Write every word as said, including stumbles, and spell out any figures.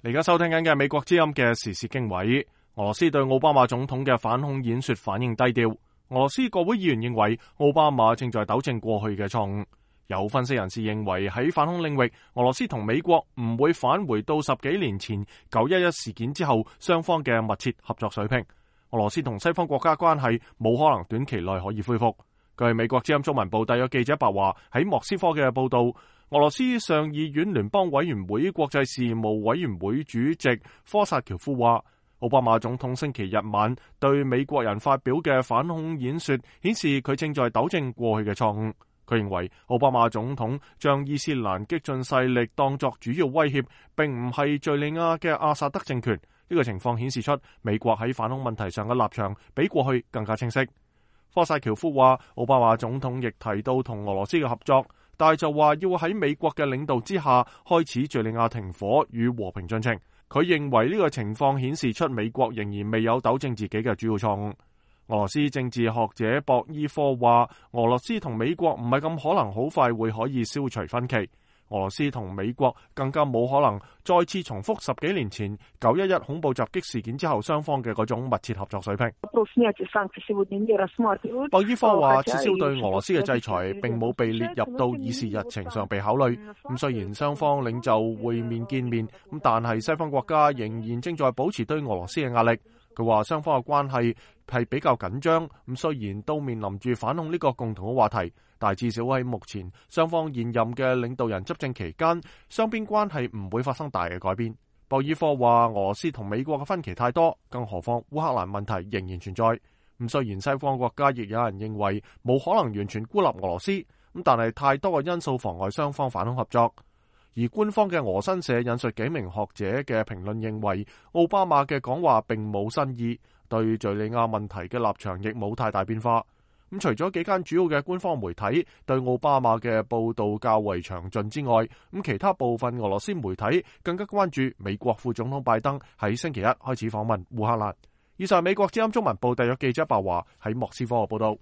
你而家收聽緊嘅美國之音嘅時事經緯。俄羅斯對奧巴馬總統嘅反恐演說反應低調。俄羅斯國會議員認為奧巴馬正在糾正過去嘅錯誤。有分析人士認為喺反恐領域，俄羅斯同美國唔會返回到十幾年前九一一事件之後雙方嘅密切合作水平。俄羅斯同西方國家關係冇可能短期內可以恢復。據美國之音中文部特約記者白華喺莫斯科嘅報道，俄羅斯上議院聯邦委員會國際事務委員會主席科薩喬夫話，奧巴馬總統星期日晚對美國人發表嘅反恐演說顯示佢正在糾正過去嘅錯誤。佢認為奧巴馬總統將伊斯蘭激進勢力當作主要威脅，並唔係敘利亞嘅阿薩德政權。呢個情況顯示出美國喺反恐問題上嘅立場比過去更加清晰。科薩喬夫話，奧巴馬總統亦提到同俄羅斯嘅合作，但係就話要喺美國嘅領導之下開始敘利亞停火與和平進程。佢認為呢個情況顯示出美國仍然未有糾正自己嘅主要錯誤。俄羅斯政治學者博伊科話，俄羅斯同美國唔係咁可能好快會可以消除分歧。俄羅斯同美國更加冇可能再次重複十幾年前九一一恐怖襲擊事件之後雙方嘅嗰種密切合作水平。博伊科話，撤銷對俄羅斯嘅制裁並冇被列入到議事日程上被考慮。咁雖然雙方領袖會面見面，咁但係西方國家仍然正在保持對俄羅斯嘅壓力。佢話雙方嘅關係係比較緊張，咁雖然都面臨住反恐呢個共同嘅話題，但係至少喺目前雙方現任嘅領導人執政期間，雙邊關係唔會發生大嘅改變。博爾科話，俄羅斯同美國嘅分歧太多，更何況烏克蘭問題仍然存在。咁雖然西方國家亦有人認為冇可能完全孤立俄羅斯，咁但係太多嘅因素妨礙雙方反恐合作。而官方嘅俄新社引述幾名學者嘅評論認為，奧巴馬嘅講話並冇新意，對敘利亞問題嘅立場亦冇太大變化。咁除咗幾間主要嘅官方媒體對奧巴馬嘅報導較為詳盡之外，咁其他部分俄羅斯媒體更加關注美國副總統拜登喺星期一開始訪問烏克蘭。以上美國之音中文部特約記者白華喺莫斯科嘅報導。